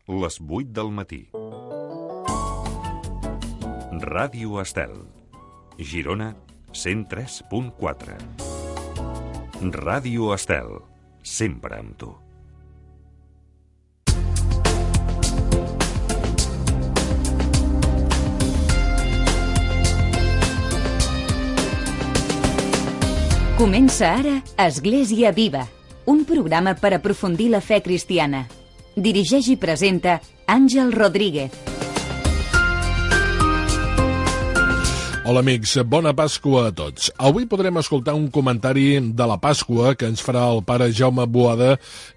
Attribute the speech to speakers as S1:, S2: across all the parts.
S1: les 8 del matí. Ràdio Estel, Girona 103.4. Ràdio Estel, sempre amb tu.
S2: Comença ara Església Viva, un programa per aprofundir la fe cristiana. Dirigeix i presenta Àngel Rodríguez.
S3: Hola amics, bona Pasqua a tots. Avui podrem escoltar un comentari de la Pasqua que ens farà el pare Jaume Boada,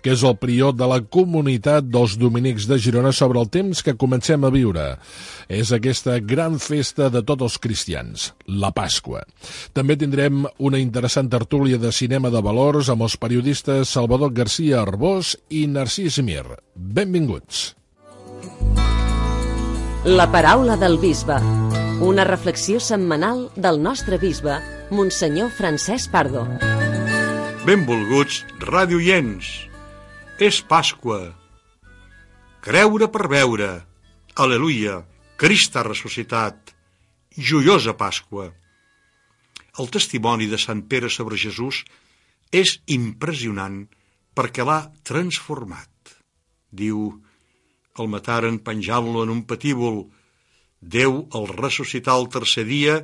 S3: que és el prior de la comunitat dels dominics de Girona, sobre el temps que comencem a viure. És aquesta gran festa de tots els cristians, la Pasqua. També tindrem una interessant tertúlia de cinema de valors amb els periodistes Salvador García Arbós i Narcís Mir. Benvinguts.
S4: La paraula del bisbe. Una reflexió setmanal del nostre bisbe, Monsenyor Francesc Pardo.
S5: Benvolguts radioients. És Pasqua. Creure per veure. Aleluia. Crist ha ressuscitat. Joiosa Pasqua. El testimoni de Sant Pere sobre Jesús és impressionant perquè l'ha transformat. Diu, el mataren penjant-lo en un patíbul. Déu el ressuscità el tercer dia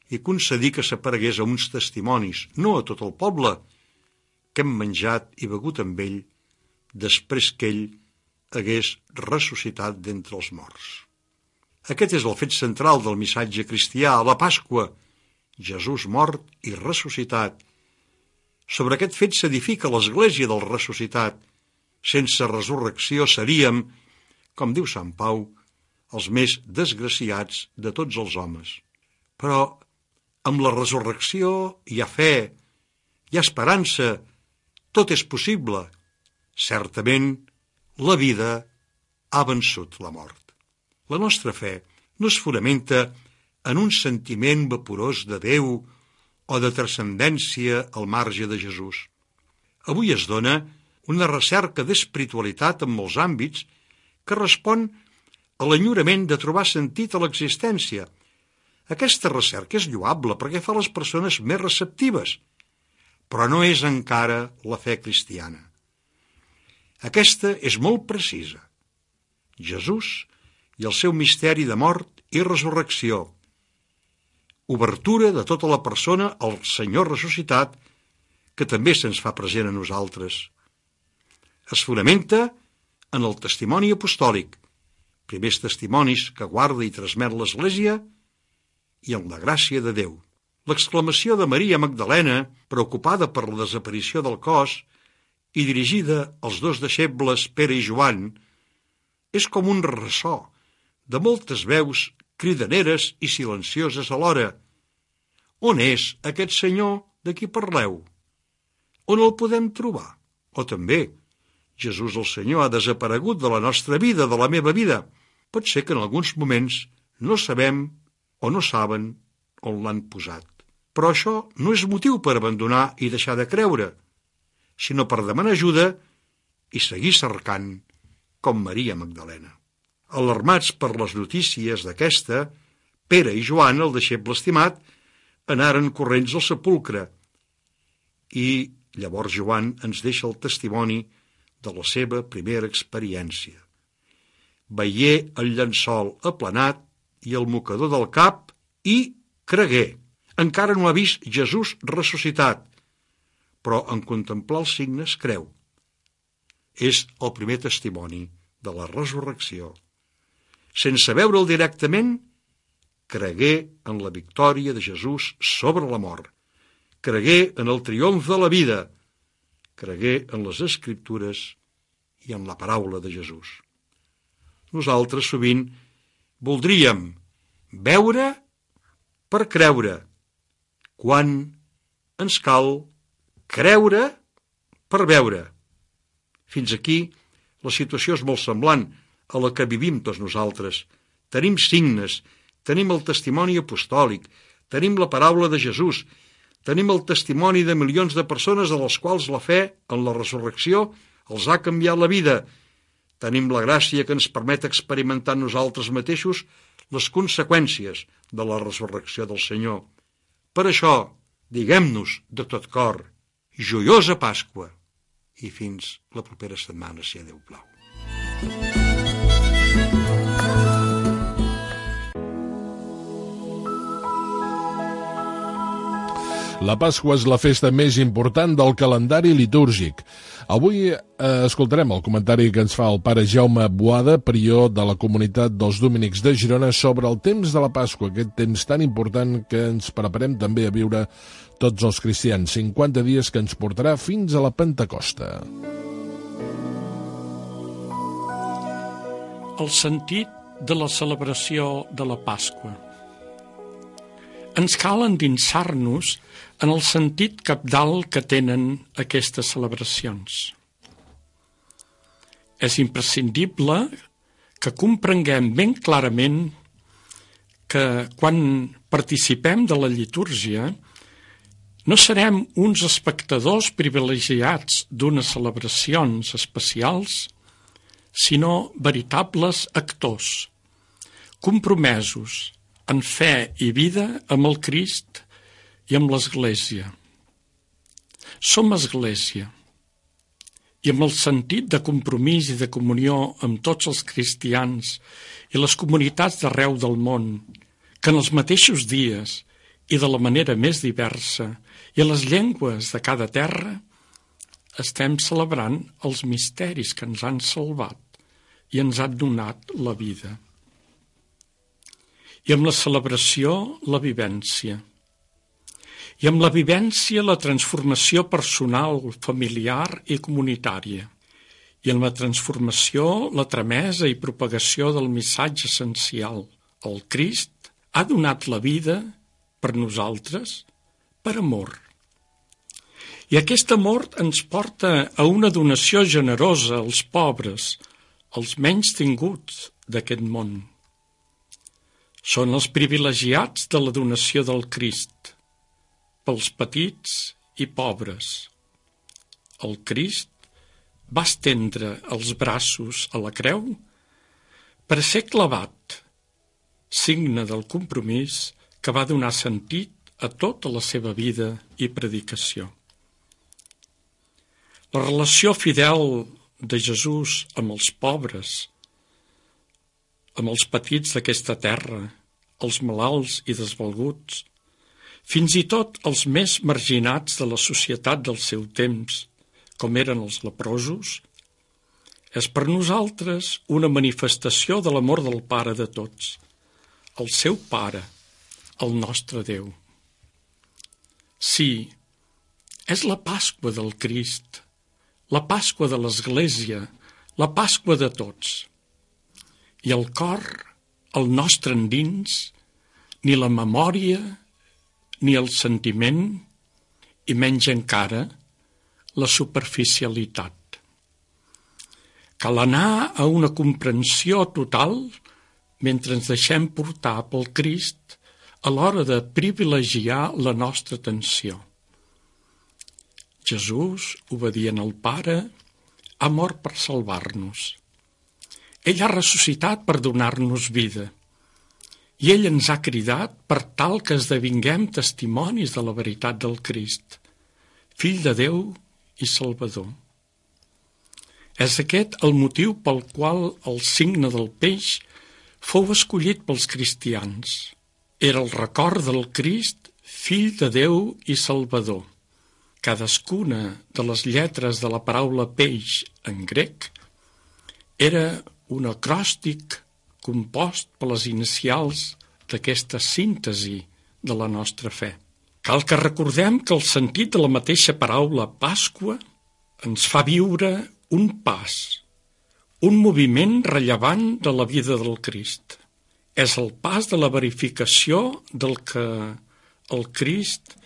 S5: i concedí que s'aparegués a uns testimonis, no a tot el poble, que hem menjat i begut amb ell després que ell hagués ressuscitat d'entre els morts. Aquest és el fet central del missatge cristià a la Pasqua, Jesús mort i ressuscitat. Sobre aquest fet s'edifica l'Església del ressuscitat. Sense resurrecció seríem, com diu Sant Pau, els més desgraciats de tots els homes. Però amb la resurrecció hi ha fe, hi ha esperança, tot és possible. Certament, la vida ha vençut la mort. La nostra fe no es fonamenta en un sentiment vaporós de Déu o de transcendència al marge de Jesús. Avui es dona una recerca d'espiritualitat en molts àmbits que respon a l'enyorament de trobar sentit a l'existència. Aquesta recerca és lloable perquè fa les persones més receptives, però no és encara la fe cristiana. Aquesta és molt precisa. Jesús i el seu misteri de mort i resurrecció. Obertura de tota la persona al Senyor ressuscitat, que també se'ns fa present a nosaltres. Es fonamenta en el testimoni apostòlic, primers testimonis que guarda i transmet l'Església, i en la gràcia de Déu. L'exclamació de Maria Magdalena, preocupada per la desaparició del cos i dirigida als dos deixebles Pere i Joan, és com un ressò de moltes veus cridaneres i silencioses alhora. On és aquest senyor de qui parleu? On el podem trobar? O també, Jesús el Senyor ha desaparegut de la nostra vida, de la meva vida. Pot ser que en alguns moments no sabem o no saben on l'han posat. Però això no és motiu per abandonar i deixar de creure, sinó per demanar ajuda i seguir cercant, com Maria Magdalena. Alarmats per les notícies d'aquesta, Pere i Joan, el deixeble estimat, anaren corrents al sepulcre. I llavors Joan ens deixa el testimoni de la seva primera experiència. Veié el llençol aplanat i el mocador del cap i cregué. Encara no ha vist Jesús ressuscitat, però en contemplar els signes creu. És el primer testimoni de la resurrecció. Sense veure'l directament, cregué en la victòria de Jesús sobre la mort. Cregué en el triomf de la vida. Cregué en les Escriptures i en la paraula de Jesús. Nosaltres sovint voldríem veure per creure, quan ens cal creure per veure. Fins aquí la situació és molt semblant a la que vivim tots nosaltres. Tenim signes, tenim el testimoni apostòlic, tenim la paraula de Jesús, tenim el testimoni de milions de persones a les quals la fe en la resurrecció els ha canviat la vida. Tenim la gràcia que ens permet experimentar nosaltres mateixos les conseqüències de la resurrecció del Senyor. Per això, diguem-nos de tot cor, joiosa Pasqua, i fins la propera setmana, si a Déu plau.
S3: La Pasqua és la festa més important del calendari litúrgic. Avui escoltarem el comentari que ens fa el pare Jaume Boada, prior de la comunitat dels Dominics de Girona, sobre el temps de la Pasqua, aquest temps tan important que ens preparem també a viure tots els cristians, 50 dies que ens portarà fins a la Pentecosta.
S6: El sentit de la celebració de la Pasqua. Ens cal endinsar-nos en el sentit cabdal que tenen aquestes celebracions. És imprescindible que comprenguem ben clarament que quan participem de la litúrgia no serem uns espectadors privilegiats d'unes celebracions especials, sinó veritables actors, compromesos en fe i vida amb el Crist i amb l'Església. Som Església, i amb el sentit de compromís i de comunió amb tots els cristians i les comunitats d'arreu del món, que en els mateixos dies i de la manera més diversa i a les llengües de cada terra estem celebrant els misteris que ens han salvat i ens han donat la vida. I amb la celebració, la vivència. I amb la vivència, la transformació personal, familiar i comunitària. I amb la transformació, la tramesa i propagació del missatge essencial. El Crist ha donat la vida per nosaltres, per amor. I aquest amor ens porta a una donació generosa als pobres, als menys tinguts d'aquest món. Són els privilegiats de la donació del Crist, pels petits i pobres. El Crist va estendre els braços a la creu per ser clavat, signe del compromís que va donar sentit a tota la seva vida i predicació. La relació fidel de Jesús amb els pobres, amb els petits d'aquesta terra, els malalts i desvalguts, fins i tot els més marginats de la societat del seu temps, com eren els leprosos, és per nosaltres una manifestació de l'amor del Pare de tots, el seu Pare, el nostre Déu. Sí, és la Pasqua del Crist, la Pasqua de l'Església, la Pasqua de tots. I el cor, el nostre endins, ni la memòria, ni el sentiment, i menys encara, la superficialitat. Cal anar a una comprensió total mentre ens deixem portar pel Crist a l'hora de privilegiar la nostra atenció. Jesús, obedient al Pare, ha mort per salvar-nos. Ell ha ressuscitat per donar-nos vida. I ell ens ha cridat per tal que esdevinguem testimonis de la veritat del Crist, Fill de Déu i Salvador. És aquest el motiu pel qual el signe del peix fou escollit pels cristians. Era el record del Crist, Fill de Déu i Salvador. Cadascuna de les lletres de la paraula peix en grec era un acròstic compost per les inicials d'aquesta síntesi de la nostra fe. Cal que recordem que el sentit de la mateixa paraula Pasqua ens fa viure un pas, un moviment rellevant de la vida del Crist. És el pas de la verificació del que el Crist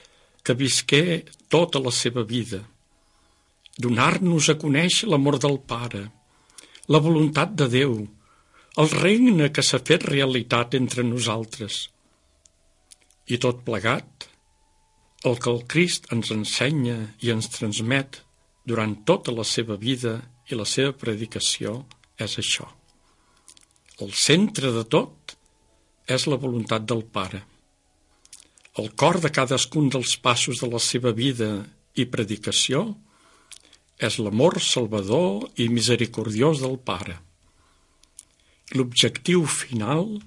S6: que visqué tota la seva vida. Donar-nos a conèixer l'amor del Pare, la voluntat de Déu, el regne que s'ha fet realitat entre nosaltres. I tot plegat, el que el Crist ens ensenya i ens transmet durant tota la seva vida i la seva predicació és això. El centre de tot és la voluntat del Pare. El cor de cadascun dels passos de la seva vida i predicació és l'amor salvador i misericordiós del Pare. L'objectiu final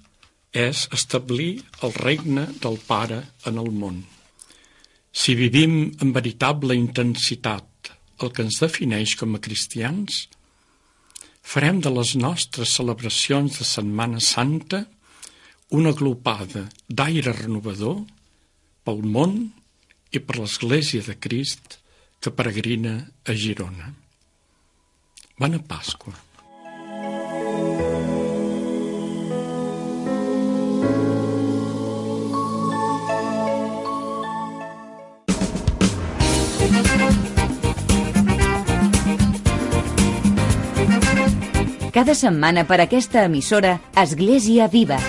S6: és establir el regne del Pare en el món. Si vivim amb veritable intensitat el que ens defineix com a cristians, farem de les nostres celebracions de Setmana Santa una glopada d'aire renovador pel món i per l'Església de Crist que peregrina a Girona. Bona Pasqua.
S2: Cada setmana per aquesta emissora Església Viva.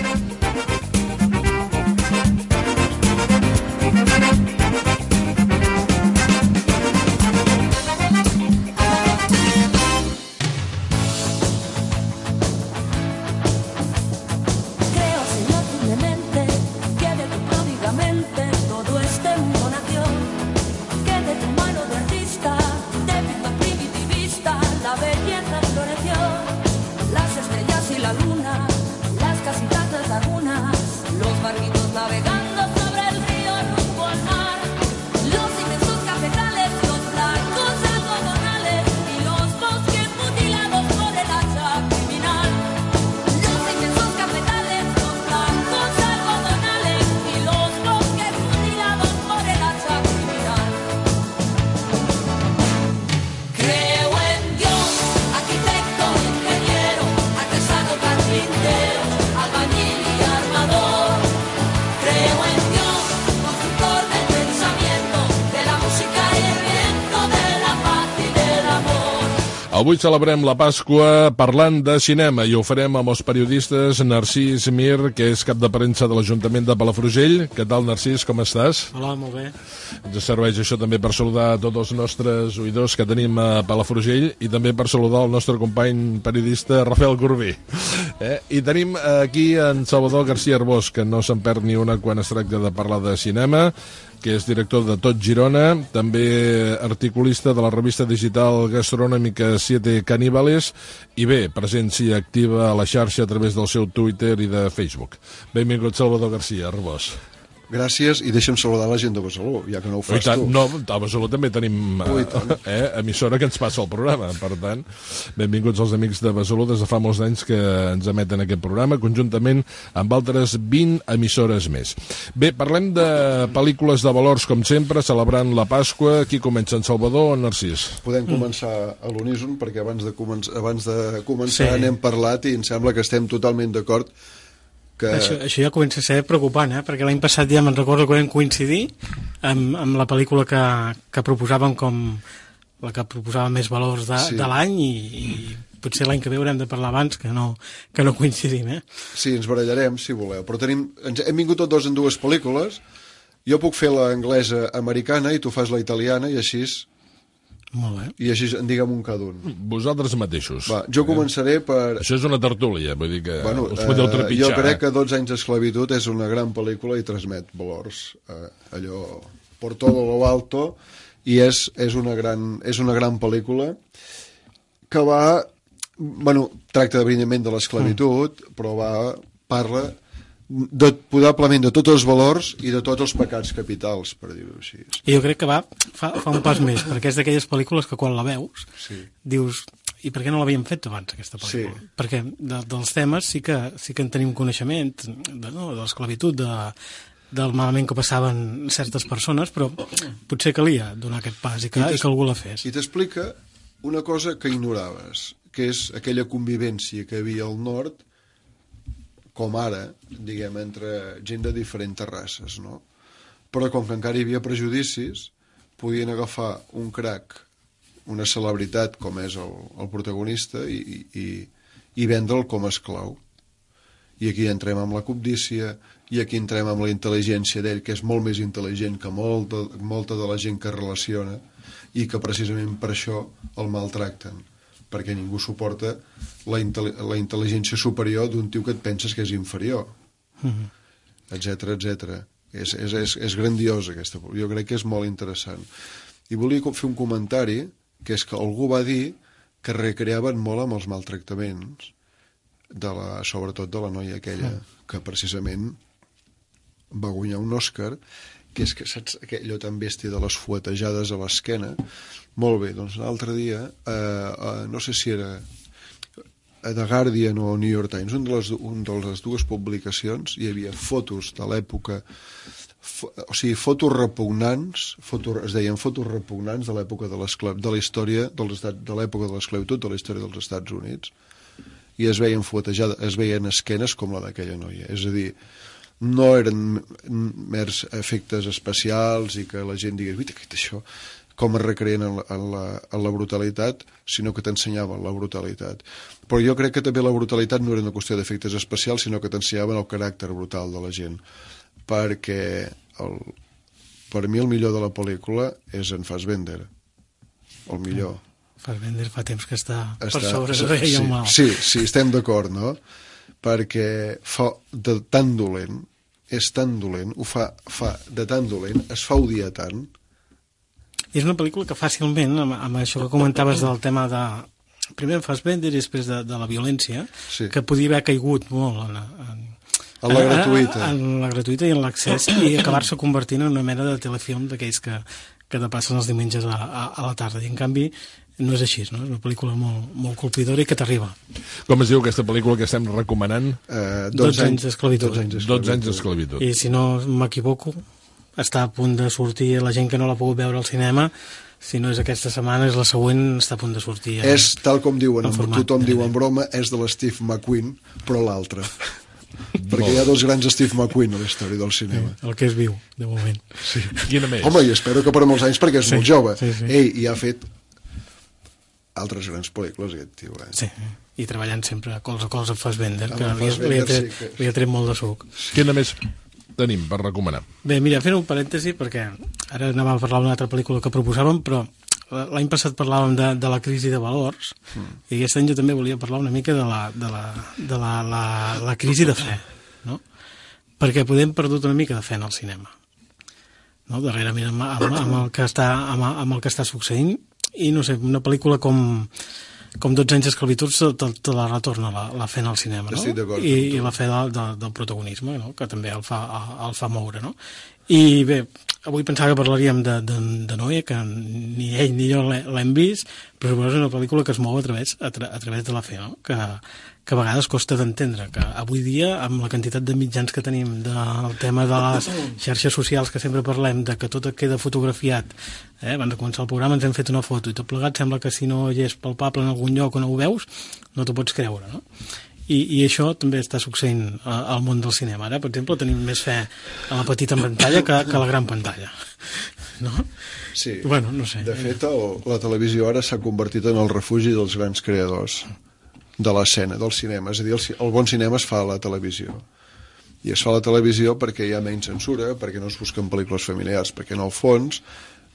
S3: Avui celebrem la Pasqua parlant de cinema i ho farem amb els periodistes Narcís Mir, que és cap de premsa de l'Ajuntament de Palafrugell. Què tal, Narcís, com estàs?
S7: Hola, molt bé.
S3: Ens serveix això també per saludar tots els nostres oïdors que tenim a Palafrugell i també per saludar el nostre company periodista Rafael Corbí. I tenim aquí en Salvador García Arbós, que no se'n perd ni una quan es tracta de parlar de cinema, que és director de Tot Girona, també articulista de la revista digital gastronòmica Siete Caníbales i bé, presència activa a la xarxa a través del seu Twitter i de Facebook. Benvingut, Salvador García Arbós.
S8: Gràcies, i deixa'm saludar la gent de Besalú, ja que no ho fas tu.
S3: No, a Besalú també tenim emissora que ens passa el programa, per tant, benvinguts els amics de Besalú, des de fa molts anys que ens emeten aquest programa, conjuntament amb altres 20 emissores més. Bé, parlem de pel·lícules de valors, com sempre, celebrant la Pasqua. Qui comença, en Salvador o en Narcís?
S8: Podem començar a l'uníson, perquè abans de començar n'hem parlat i em sembla que estem totalment d'acord.
S7: Això ja comença a ser preocupant, perquè l'any passat ja me'n recordo que vam coincidir amb la pel·lícula que proposàvem com la que proposava més valors de l'any i potser l'any que ve haurem de parlar abans que no coincidim.
S8: Sí, ens barallarem, si voleu, però hem vingut tots dos en dues pel·lícules. Jo puc fer l'anglesa americana i tu fas la italiana i així...
S7: Molt bé.
S8: I així en diguem un cada un.
S3: Vosaltres mateixos.
S8: Va, jo començaré per...
S3: Això és una tertúlia, vull dir que us podeu trepitjar.
S8: Jo crec que 12 anys d'esclavitud és una gran pel·lícula i transmet valors. Allò, por todo lo alto, i és una gran pel·lícula que va... tracta evidentment de l'esclavitud, però parla probablement de tots els valors i de tots els pecats capitals, per dir-ho així.
S7: I jo crec que fa un pas més, perquè és d'aquelles pel·lícules que quan la veus dius, i per què no l'havíem fet abans, aquesta pel·lícula? Sí. Perquè dels temes sí que en tenim coneixement, de l'esclavitud, del malament que passaven certes persones, però potser calia donar aquest pas i que algú la fes.
S8: I t'explica una cosa que ignoraves, que és aquella convivència que hi havia al nord, com ara, diguem, entre gent de diferents races, no? Però com que encara hi havia prejudicis, podien agafar un crac, una celebritat com és el protagonista i vendre'l com a esclau. I aquí entrem amb la cobdícia, i aquí entrem amb la intel·ligència d'ell, que és molt més intel·ligent que molta de la gent que relaciona, i que precisament per això el maltracten. perquè ningú suporta la intel·ligència superior d'un tio que et penses que és inferior, etc etc. És grandiós aquesta, jo crec que és molt interessant. I volia fer un comentari, que és que algú va dir que recreaven molt amb els maltractaments sobretot de la noia aquella, que precisament va guanyar un Òscar, que és que, saps, allò tan bèstia de les fuetejades a l'esquena. Molt bé, doncs l'altre dia, no sé si era a The Guardian o New York Times, un de les dues publicacions, hi havia fotos de l'època, o sigui, fotos repugnants, es deien fotos repugnants de l'època de la història de l'època de l'esclavitud, de la història dels Estats Units, i es veien fuetejades, es veien esquenes com la d'aquella noia. És a dir, no eren mers efectes especials i que la gent digués, uita, què és això? Com es recreen en la brutalitat, sinó que t'ensenyaven la brutalitat. Però jo crec que també la brutalitat no era una qüestió d'efectes especials, sinó que t'ensenyaven el caràcter brutal de la gent. Perquè per mi el millor de la pel·lícula és en Fassbender. El millor.
S7: Fassbender fa temps que està per sobre de ell el mal.
S8: Sí, estem d'acord, no? Perquè fa de tan dolent, és tan dolent, ho fa de tan dolent, es fa odiar tant.
S7: És una pel·lícula que fàcilment, amb això que comentaves del tema de... Primer en Fassbender i després de la violència, que podia haver caigut molt en
S8: la gratuïta.
S7: En la gratuïta i en l'accés, i acabar-se convertint en una mena de telefilm d'aquells que te passen els diumenges a la tarda. I en canvi no és així, no? És una pel·lícula molt, molt colpidora i que t'arriba.
S3: Com es diu aquesta pel·lícula que estem recomanant?
S7: 12 anys d'esclavitud.
S3: 12 anys d'esclavitud.
S7: I si no m'equivoco, està a punt de sortir, la gent que no l'ha pogut veure al cinema, si no és aquesta setmana, és la següent, està a punt de sortir.
S8: És, tal com diuen, tothom diu en broma, és de l'Steve McQueen, però l'altre. Perquè hi ha dos grans Steve McQueen a la història del cinema.
S7: El que és viu, de moment.
S3: Sí. Quina més?
S8: Home, i espero que per molts anys, perquè és molt jove.
S7: Sí.
S8: I ha fet altres grans pel·lícules, aquest tio.
S7: Sí, i treballant sempre colze a colze amb Fassbender, que li ha tret molt de suc.
S3: Quina més tenim per recomanar?
S7: Bé, mira, fent un parèntesi, perquè ara anàvem a parlar d'una altra pel·lícula que proposàvem, però l'any passat parlàvem de la crisi de valors, i aquest any jo també volia parlar una mica de la crisi de fe, no? Perquè podem perdut una mica de fe en el cinema, no? Darrerament amb el que està succeint, i no sé, una pel·lícula com 12 anys d'esclavitud te la retorna la fe en el cinema, no? I la fe del protagonisme, no? Que també el fa moure, no? I bé, avui pensava que parlaríem de Noé, que ni ell ni jo l'hem vist, però és una pel·lícula que es mou a través de la fe, no? Que a vegades costa d'entendre, que avui dia, amb la quantitat de mitjans que tenim del tema de les xarxes socials que sempre parlem, de que tot queda fotografiat, abans de començar el programa ens hem fet una foto i tot plegat sembla que si no hi és palpable en algun lloc o no ho veus, no t'ho pots creure, no? I això també està succeint al món del cinema. Ara, per exemple, tenim més fe a la petita pantalla que a la gran pantalla, no?
S8: Sí.
S7: Bueno, no sé.
S8: De fet, la televisió ara s'ha convertit en el refugi dels grans creadors de l'escena, del cinema. És a dir, el bon cinema es fa a la televisió. I es fa a la televisió perquè hi ha menys censura, perquè no es busquen pel·lícules familiars, perquè en el fons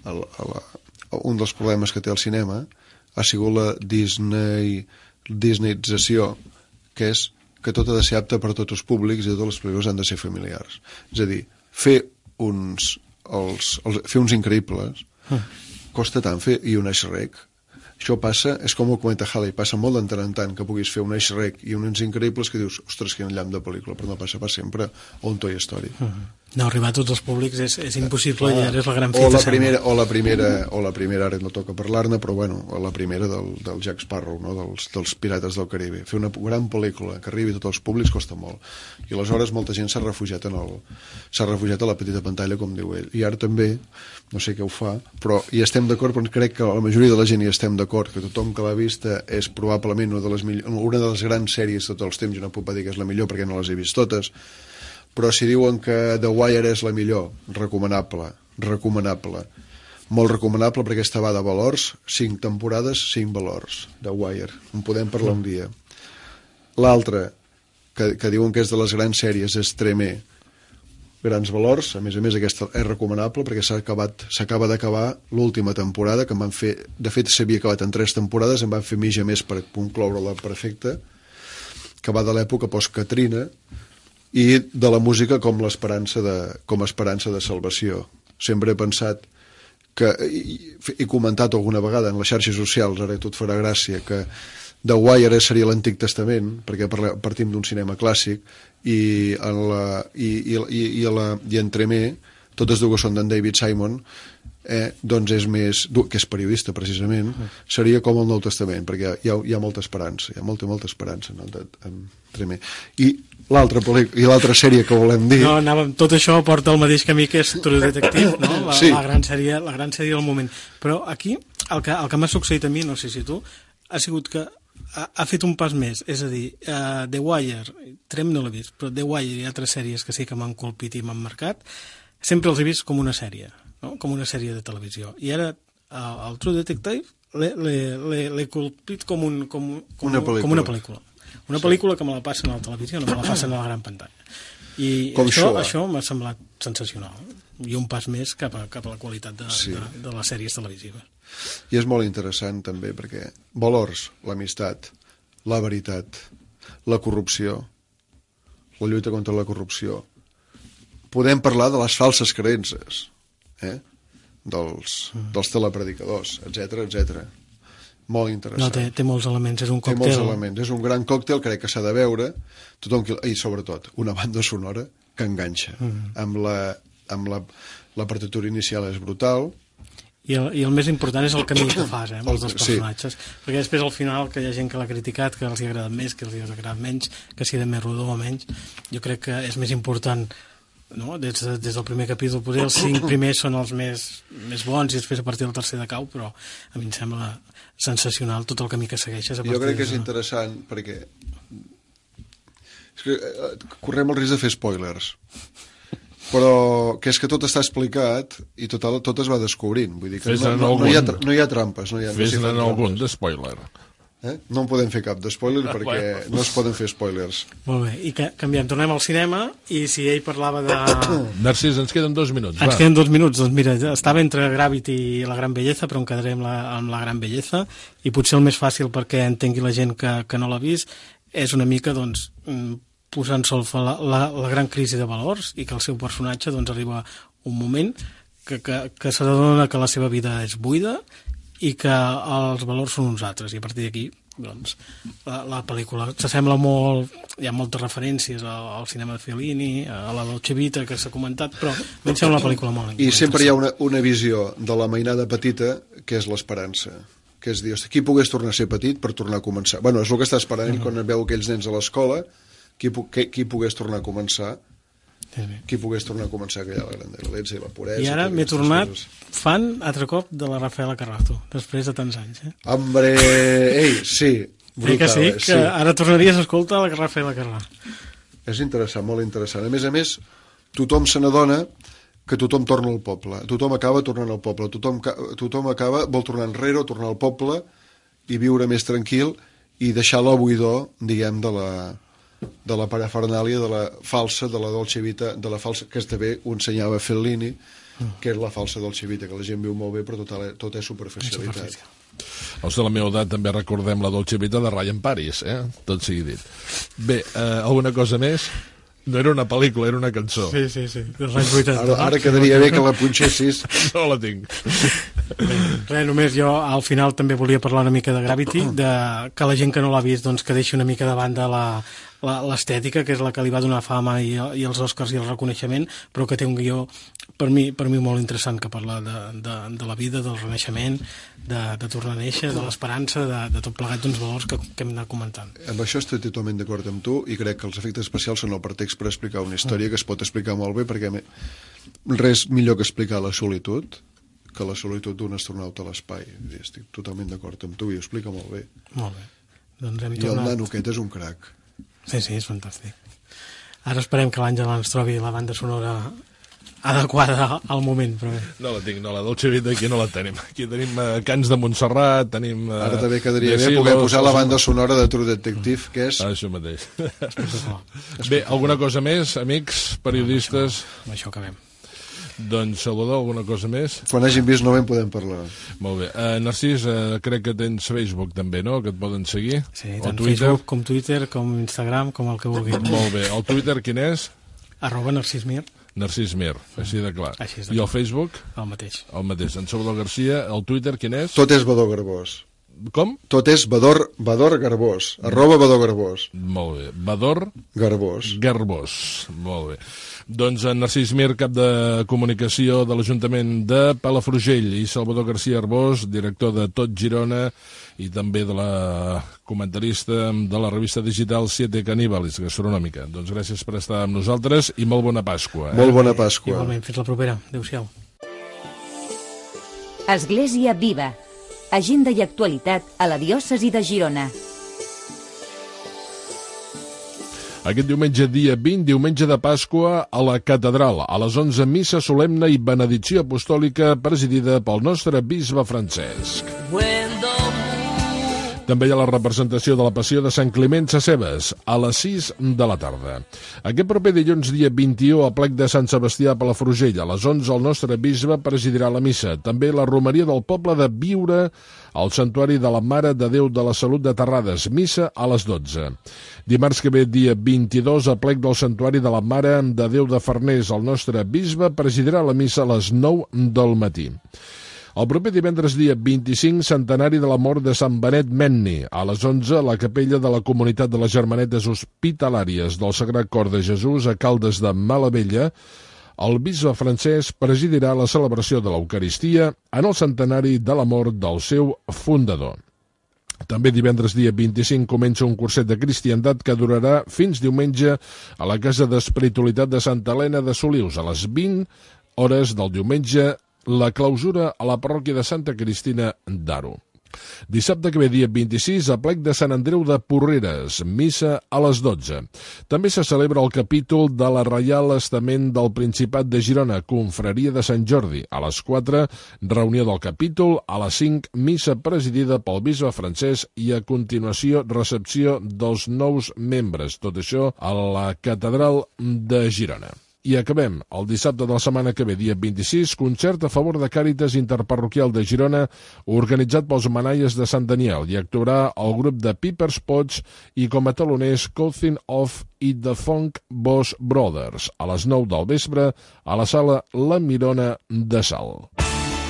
S8: un dels problemes que té el cinema ha sigut la disneyització, que és que tot ha de ser apte per a tots els públics i totes les pel·lícules han de ser familiars. És a dir, fer uns increïbles costa tant fer, i un Shrek. Això passa, és com el cometa Halley, passa molt de tant en tant que puguis fer un Shrek i uns increïbles que dius, ostres, quin llamp de pel·lícula, però no passa per sempre, o un Toy Story.
S7: No, arribar a tots els públics és impossible, i ara és la gran fita.
S8: O la primera, ara no toca parlar-ne, però bueno, la primera del Jack Sparrow, no? dels Pirates del Caribe. Fer una gran pel·lícula que arribi a tots els públics costa molt. I aleshores molta gent s'ha refugiat a la petita pantalla, com diu ell. I ara també, no sé què ho fa, però hi estem d'acord, però crec que la majoria de la gent hi estem d'acord, que tothom que l'ha vista és probablement una de les grans sèries de tots els temps, i no puc dir que és la millor perquè no les he vist totes, però si diuen que The Wire és la millor, recomanable, molt recomanable, perquè aquesta va de valors, 5 temporades, 5 valors, The Wire, en podem parlar un dia. L'altra, que diuen que és de les grans sèries, és Tremé, grans valors. A més, aquesta és recomanable perquè s'acaba d'acabar l'última temporada, que em van fer, de fet s'havia acabat en 3 temporades, em van fer mitja més per concloure-la perfecta, que va de l'època post-Katrina, i de la música com esperança de salvació. Sempre he pensat que, he comentat alguna vegada en les xarxes socials, ara tot farà gràcia, que The Wire seria l'Antic Testament, perquè partim d'un cinema clàssic, i Entremé, totes dues són d'en David Simon, doncs és més, que és periodista precisament, seria com el Nou Testament, perquè hi ha molta esperança, hi ha molta esperança en Entremé. I l'altra sèrie que volem dir...
S7: Tot això porta el mateix camí que és True Detective, no? La gran sèrie del moment. Però aquí, el que m'ha succeït a mi, no sé si tu, ha sigut que ha fet un pas més, és a dir, The Wire, Trem no l'he vist, però The Wire i altres sèries que sí que m'han colpit i m'han marcat, sempre els he vist com una sèrie, no? Com una sèrie de televisió. I ara el True Detective l'he colpit com una pel·lícula. Una pel·lícula que me la passen a la televisió, no me la passen a la gran pantalla. I això m'ha semblat sensacional. I un pas més cap a la qualitat de les sèries televisives.
S8: I és molt interessant també perquè valors, l'amistat, la veritat, la corrupció, la lluita contra la corrupció. Podem parlar de les falses creences, dels telepredicadors, etc. Molt interessant.
S7: No, té molts elements, és un còctel.
S8: Té molts elements, és un gran còctel, crec que s'ha de veure, i sobretot una banda sonora que enganxa. Amb la partitura inicial és brutal.
S7: I el més important és el camí que fas, amb els dos personatges. Perquè després al final, que hi ha gent que l'ha criticat, que els hi ha agradat més, que els hi ha agradat menys, que si de més rodó o menys, jo crec que és més important, no? Des del primer capítol, potser els 5 primers són els més bons i després a partir del tercer de cau, però a mi em sembla sensacional tot el camí que segueixes.
S8: Jo crec que és interessant perquè correm el risc de fer spoilers, però que és que tot està explicat i tot es va descobrint, vull dir que no hi ha trampes,
S3: fes-ne algun de spoiler.
S8: No en podem fer cap de spoiler perquè no es poden fer spoilers.
S7: Molt bé, i canviem, tornem al cinema, i si ell parlava de...
S3: Narcís, ens queden 2 minuts.
S7: Ens queden 2 minuts, doncs mira, estava entre Gravity i La Gran Belleza, però em quedaré amb la Gran Belleza, i potser el més fàcil perquè entengui la gent que no l'ha vist és una mica, doncs, posar en solfa la gran crisi de valors i que el seu personatge doncs, arriba un moment que s'adona que la seva vida és buida i que els valors són uns altres, i a partir d'aquí doncs, la pel·lícula s'assembla molt, hi ha moltes referències al cinema de Fellini, a la Dolce Vita que s'ha comentat, però a mi em sembla una pel·lícula molt
S8: i sempre hi ha una visió de la mainada petita que és l'esperança, que és dir, qui pogués tornar a ser petit per tornar a començar. Bueno, és el que està esperant quan veu aquells nens a l'escola, qui pogués tornar a començar, aquella la grandesa i la puresa.
S7: I ara m'he tornat fan altre cop de la Rafaela Carrasco, després de tants anys.
S8: Hombre, sí, brutal.
S7: Que ara tornaries a escoltar la Rafaela Carrasco.
S8: És interessant, molt interessant. A més, tothom se n'adona que tothom torna al poble, tothom acaba tornant al poble, tothom acaba, vol tornar enrere, tornar al poble i viure més tranquil i deixar la buidor, diguem, de la parafernàlia de la falsa, de la Dolce Vita, de la falsa, que també ho ensenyava Fellini, que és la falsa Dolce Vita, que la gent viu molt bé, però tot és superficialitat.
S3: Els de la meva edat també recordem la Dolce Vita de Ryan Paris, tot sigui dit. Bé, alguna cosa més? No era una pel·lícula, era una cançó.
S7: Sí, dels anys 80.
S8: Ara quedaria bé que la punxessis.
S3: No la tinc.
S7: Res, només jo al final també volia parlar una mica de Gravity, que la gent que no l'ha vist doncs, que deixi una mica de banda l'estètica, que és la que li va donar fama i els Oscars i el reconeixement, però que té un guió per mi molt interessant, que parla de la vida, del renaixement, de tornar a néixer, de l'esperança, de tot plegat d'uns valors que hem anat comentant.
S8: Amb això estic totalment d'acord amb tu i crec que els efectes especials són el pretext per explicar una història que es pot explicar molt bé, perquè res millor que explicar la solitud que la solitud d'un astronauta a l'espai. Estic totalment d'acord amb tu i ho explica molt bé.
S7: Molt bé. Doncs hem
S8: tornat... I el nano aquest és un crac.
S7: Sí, és fantàstic. Ara esperem que l'Àngela ens trobi la banda sonora adequada al moment, però bé.
S3: No la tinc, no, la Dolce Vita aquí no la tenim. Aquí tenim Cants de Montserrat, tenim...
S8: Ara també quedaria bé poder posar la banda sonora de True Detective, que és...
S3: Això mateix. Bé, alguna cosa més, amics, periodistes?
S7: Amb això acabem.
S3: Doncs, Salvador, alguna cosa més?
S8: Quan hagin vist no en podem parlar.
S3: Molt bé. Narcís, crec que tens Facebook també, no?, que et poden seguir.
S7: Sí, tant Facebook com Twitter, com Instagram, com el que vulguin.
S3: Molt bé. El Twitter quin és?
S7: @NarcisMir.
S3: Narcís Mir, així de clar.
S7: Així és de
S3: I el Facebook?
S7: El mateix.
S3: El mateix. En Salvador Garcia, el Twitter quin és?
S8: Tot és Bador Garbós.
S3: Com?
S8: Tot és Bador Garbós. @Bador Garbós.
S3: Molt bé. Bador
S8: Garbós.
S3: Molt bé. Doncs en Narcís Mir, cap de comunicació de l'Ajuntament de Palafrugell, i Salvador Garcia Arbós, director de Tot Girona i també de la comentarista de la revista digital Siete Caníbales Gastronòmica. Doncs gràcies per estar amb nosaltres i molt bona Pasqua.
S8: Molt bona Pasqua.
S7: Igualment, fins la propera. Adéu-siau.
S2: Església Viva. Agenda i actualitat a la diòcesi de Girona.
S3: Aquest diumenge, dia 20, diumenge de Pasqua, a la Catedral, a les 11, missa solemne i benedicció apostòlica presidida pel nostre bisbe Francesc. També hi ha la representació de la Passió de Sant Climent Sescebes, a les 6 de la tarda. Aquest proper dilluns, dia 21, a plec de Sant Sebastià a Palafrugell, a les 11, el nostre bisbe presidirà la missa. També la romeria del poble de Biure, al Santuari de la Mare de Déu de la Salut de Terrades, missa a les 12. Dimarts que ve, dia 22, a plec del Santuari de la Mare de Déu de Farners, el nostre bisbe presidirà la missa a les 9 del matí. El proper divendres, dia 25, centenari de la mort de Sant Benet Menni. A les 11, a la capella de la Comunitat de les Germanetes Hospitalàries del Sagrat Cor de Jesús a Caldes de Malavella, el bisbe Francesc presidirà la celebració de l'Eucaristia en el centenari de la mort del seu fundador. També divendres, dia 25, comença un curset de cristiandat que durarà fins diumenge a la Casa d'Espiritualitat de Santa Helena de Solius, a les 20 hores del diumenge, la clausura a la parròquia de Santa Cristina d'Aro. Dissabte que ve, dia 26, a plec de Sant Andreu de Porreres, missa a les 12. També se celebra el capítol de la Reial Estament del Principat de Girona, confraria de Sant Jordi. A les 4, reunió del capítol, a les 5, missa presidida pel bisbe Francesc i a continuació recepció dels nous membres. Tot això a la Catedral de Girona. I acabem el dissabte de la setmana que ve, dia 26, concert a favor de Càritas Interparroquial de Girona, organitzat pels Manaies de Sant Daniel, i actuarà el grup de Piper's Pots i com a taloners Cousin of i The Funk Boss Brothers, a les 9 del vespre, a la sala La Mirona de Salt.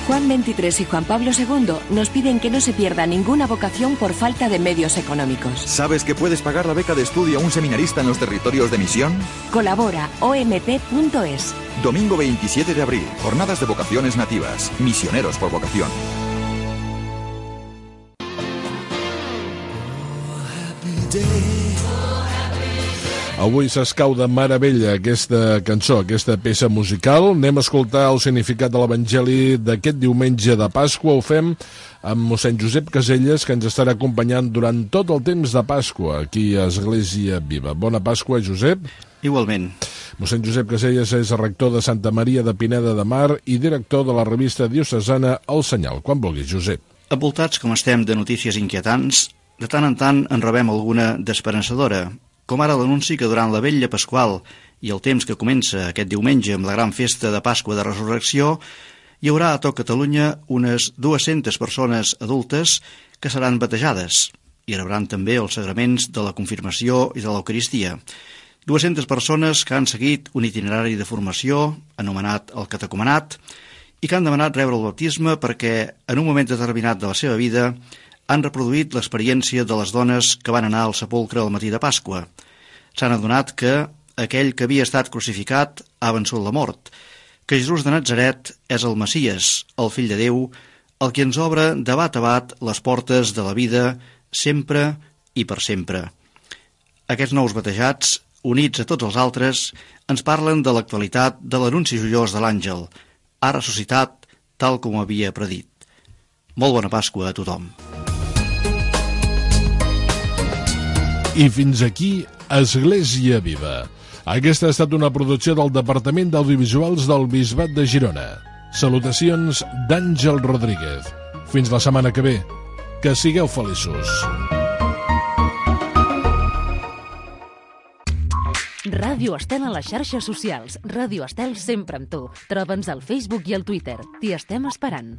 S9: Juan XXIII y Juan Pablo II nos piden que no se pierda ninguna vocación por falta de medios económicos.
S10: ¿Sabes que puedes pagar la beca de estudio a un seminarista en los territorios de misión?
S9: Colabora omp.es.
S10: Domingo 27 de abril, jornadas de vocaciones nativas, misioneros por vocación.
S3: Avui s'escau de meravella aquesta cançó, aquesta peça musical. Anem a escoltar el significat de l'Evangeli d'aquest diumenge de Pasqua. Ho fem amb mossèn Josep Caselles, que ens estarà acompanyant durant tot el temps de Pasqua aquí a Església Viva. Bona Pasqua, Josep.
S11: Igualment.
S3: Mossèn Josep Caselles és rector de Santa Maria de Pineda de Mar i director de la revista diocesana El Senyal. Quan vulguis, Josep.
S11: Envoltats com estem de notícies inquietants, de tant en tant en rebem alguna d'esperançadora, com ara l'anunci que durant la vetlla pasqual i el temps que comença aquest diumenge amb la gran festa de Pasqua de Resurrecció, hi haurà a tot Catalunya unes 200 persones adultes que seran batejades i rebran també els sagraments de la confirmació i de l'Eucaristia. 200 persones que han seguit un itinerari de formació anomenat el catecumenat i que han demanat rebre el baptisme perquè en un moment determinat de la seva vida han reproduït l'experiència de les dones que van anar al sepulcre al matí de Pasqua. S'han adonat que aquell que havia estat crucificat ha vençut la mort, que Jesús de Natzaret és el Messies, el fill de Déu, el que ens obre de bat a bat les portes de la vida sempre i per sempre. Aquests nous batejats, units a tots els altres, ens parlen de l'actualitat de l'anunci joiós de l'àngel. Ha ressuscitat tal com havia predit. Molt bona Pasqua a tothom.
S3: I fins aquí Església Viva. Aquesta ha estat una producció del Departament d'Audiovisuals del Bisbat de Girona. Salutacions d'Àngel Rodríguez. Fins la setmana que ve. Que sigueu feliços.
S12: Ràdio Estel a les xarxes socials. Ràdio Estel sempre amb tu. Troba'ns al Facebook i al Twitter. T'hi estem esperant.